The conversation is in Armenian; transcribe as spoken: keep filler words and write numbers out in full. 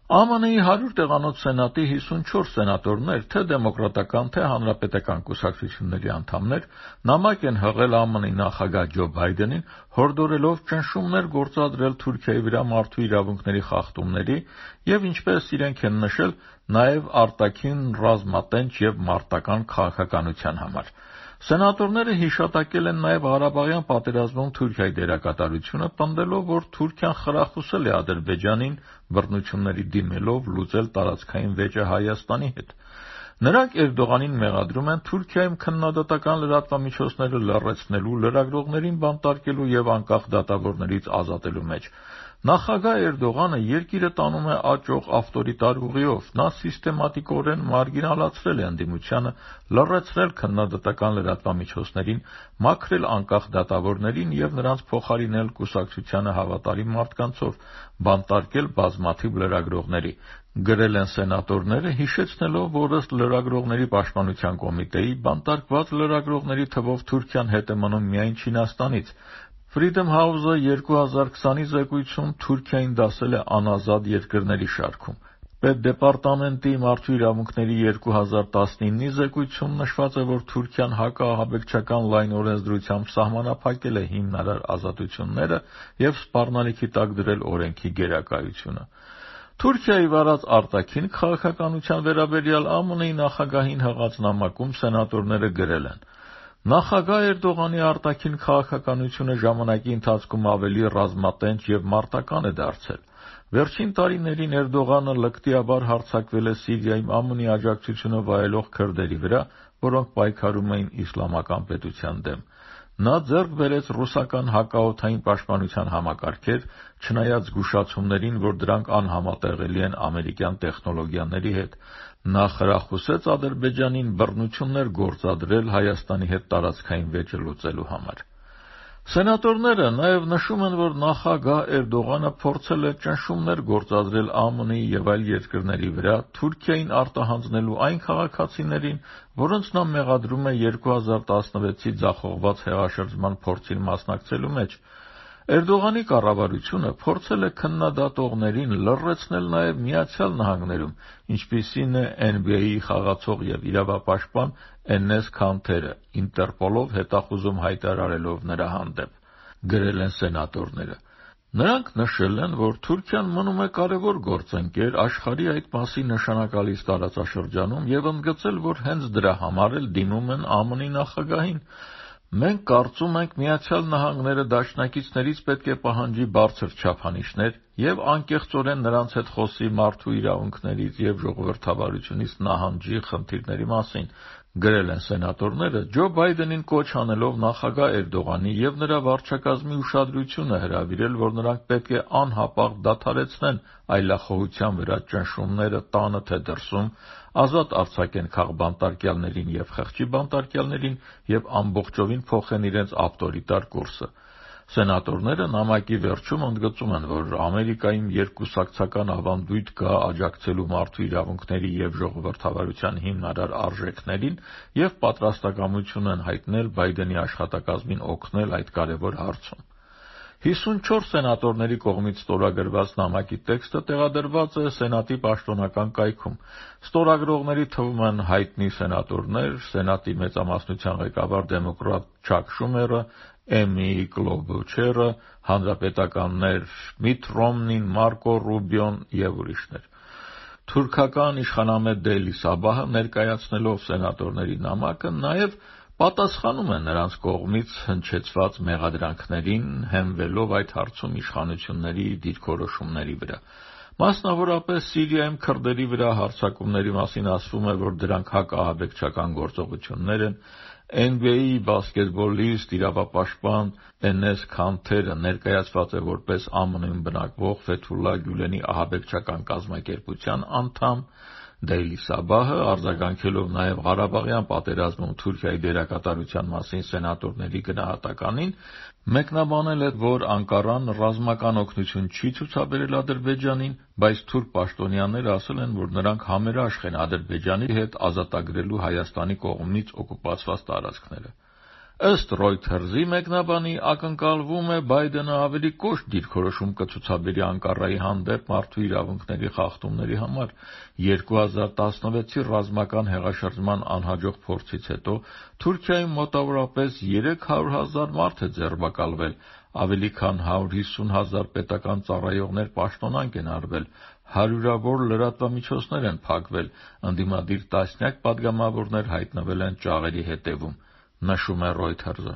Է Մ Ն-ի հարյուր տեղանոց սենատի հիսունչորս սենատորներ, թե դեմոկրատական, թե հանրապետական կուսակցությունների անդամներ, նամակ են հղել Է Մ Ն-ի նախագահ Ջո Բայդենին, հորդորելով ճնշումներ գործադրել Թուրքիայի վրա մարդու իրավունքների խախտումների և, ինչպես իրենք են նշել, նաև արտաքին ռազմատենչ և մարտական քաղաքականության համար։ Սենատորները հիշատակել են նաև Ղարաբաղյան պատերազմում Թուրքիայի դերակատարությունը, պնդելով, որ Թուրքիան խրախուսել է Ադրբեջանին բռնությունների դիմելով լուծել տարածքային վեճը Հայաստանի հետ։ Նրանք Էրդողանին մեղադրում են Թուրքիայում քննադատական լրատվամիջոցները լռեցնելու, լրագրողներին բանտարկելու և անկախ դատավորներից ազատելու մեջ։ Նախագահ Էրդողանը երկիրը տանում է աճող ավտորիտար ուղիով։ Նա սիստեմատիկորեն մարգինալացրել է ընդդիմությանը, լռեցրել քննադատական լրատվամիջոցներին, մաքրել անկախ դատավորներին և նրանց փոխարինել կուսակցությանը հավատարիմ մարդկանցով, բանտարկել բազմաթիվ լրագրողների, գրել են սենատորները, հիշեցնելով, որ ըստ Լրագրողների պաշտպանության կոմիտեի, բանտարկված լրագրողների թվով Թուրքիան հետ է մնում միայն Չինաստանից։ Freedom House-ը երկու հազար քսանի զեկույցում Թուրքիային դասել է անազատ երկրների շարքում։ Պետդեպարտամենտի մարդու իրավունքների երկու հազար տասնիննի զեկույցում նշված է, որ Թուրքիան հակաահաբեկչական լայն օրենսդրությամբ սահմանափակել է հիմնարար ազատությունները և սպառնալիքի տակ դրել օրենքի գերակայությունը։ Թուրքիայի վարած արտաքին քաղաքականության վերաբերյալ Է Մ Ն-ի նախագահին հղած նամակում սենատորները գրել են. Նախագահ Էրդողանի արտաքին քաղաքականությունը ժամանակի ընթացքում ավելի ռազմատենչ և մարտական է դարձել։ Վերջին տարիներին Էրդողանը լկտիաբար հարձակվել է Սիրիայում Է Մ Ն-ի աջակցությունը վայելող քրդերի վրա, որոնք պայքարում էին իսլամական պետության դեմ։ Նա ձեռք բերեց ռուսական հակաօդային պաշտպանության համակարգեր, չնայած զգուշացումներին, որ դրանք անհամատեղելի են ամերիկյան տեխնոլոգիաների հետ։ Նա խրախուսեց Ադրբեջանին բռնություններ գործադրել Հայաստանի հետ տարածքային վեճը լուծելու համար։ Սենատորները նաև նշում են, որ նախագահ Էրդողանը փորձել է ճնշումներ գործադրել Է Մ Ն-ի և այլ երկրների վրա, Թուրքիային արտահանձնելու այն քաղաքացիներին, որոնց նա մեղադրում է երկու հազար տասնվեցի ձախողված հեղաշրջման փորձին մասնակցելու մեջ։ Էրդողանի կառավարությունը փորձել է քննադատողներին լռեցնել նաև Միացյալ Նահանգներում, ինչպիսին է N B A-ի խաղացող և իրավապաշտպան Էնես Քանթերը, Ինտերպոլով հետախուզում հայտարարելով նրա հանդեպ, գրել են սենատորները։ Նրանք նշել են, որ Թուրքիան մնում է կարևոր գործընկեր աշխարհի այդ մասի նշանակալից տարածաշրջանում և ընդգծել, որ հենց դրա համար էլ դիմում են Է Մ Ն-ի նախագահին։ Մենք կարծում ենք Միացյալ Նահանգները դաշնակիցներից պետք է պահանջի բարձր չափանիշներ և անկեղծորեն նրանց հետ խոսի մարդու իրավունքներից և ժողովրդավարությունից նահանջի խնդիրների մասին, գրել են սենատորները, Ջո Բայդենին կոչ անելով նախագահ Էրդողանի և նրա վարչակազմի ուշադրությունը հրավիրել, որ նրանք պետք է անհապաղ դադարեցնեն այլախոհության վրա ճնշումները տանը թե դրսում, ազատ արձակեն քաղբանտարկյալներին և խղճի բանտարկյալներին և ամբողջովին փոխեն իրենց ավտորիտար կուրսը։ Սենատորները նամակի վերջում ընդգծում են, որ Ամերիկայում երկկուսակցական ավանդույթ կա աջակցելու մարդու իրավունքների և ժողովրդավարության հիմնարար արժեքներին և պատրաստակամություն են հայտնել Բայդենի աշխատակազմին օգնել այդ կարևոր հարցում։ հիսունչորս սենատորների կողմից ստորագրված նամակի տեքստը տեղադրված է Սենատի պաշտոնական կայքում։ Ստորագրողների թվում են հայտնի սենատորներ, Սենատի մեծամասնության ղեկավար դեմոկրատ Չակ Շումերը, Էմի Կլոբուչերը, հանրապետականներ Միթ Ռոմնին, Մարկո Ռուբիոն և ուրիշներ։ Թուրքական իշխանամետ Դեյլի Սաբահը ներկայացնելով սենատորների նամակը նաև պատասխանում է նրանց կողմից հնչեցված մեղադրանքներին, հենվելով այդ հարցում իշխանությունների դիրքորոշումների վրա։ Մասնավորապես Սիրիայում քրդերի վրա հարձակումների մասին ասվում է, որ դրանք հակաահաբեկչական գործողություններ են։ N B A-ի բասկետբոլիստ, իրավապաշտպան Էնես Քանթերը ներկայացված է որպես Է Մ Ն-ում բնակվող Ֆեթուլլա Գյուլենի ահաբեկչական կազմակերպության անդամ։ Դեյլի Սաբահը, արձագանքելով նաև Ղարաբաղյան պատերազմում Թուրքիայի դերակատարության մասին սենատորների գնահատականին, մեկնաբանել է, որ Անկարան ռազմական օգնություն չի ցուցաբերել Ադրբեջանին, բայց թուրք պաշտոնյաները ասել են, որ նրանք համերաշխ են Ադրբեջանի հետ ազատագրելու Հայաստանի կողմից օկուպացված տարածքները։ Ըստ Reuters-ի մեկնաբանի ակնկալվում է Բայդենը ավելի կոշտ դիրքորոշում կցուցաբերի Անկարայի հանդեպ մարդու իրավունքների խախտումների համար։ երկու հազար տասնվեցի ռազմական հեղաշրջման անհաջող փորձից հետո Թուրքիայում մոտավորապես երեք հարյուր հազար մարդ է ձերբակալվել, ավելի քան հարյուր հիսուն հազար պետական ծառայողներ պաշտոնանկ են արվել, հարյուրավոր լրատվամիջոցներ են փակվել, ընդդիմադիր տասնյակ պատգամավորներ հայտնվել են ճաղերի հետևում, նշում է Reuters-ը։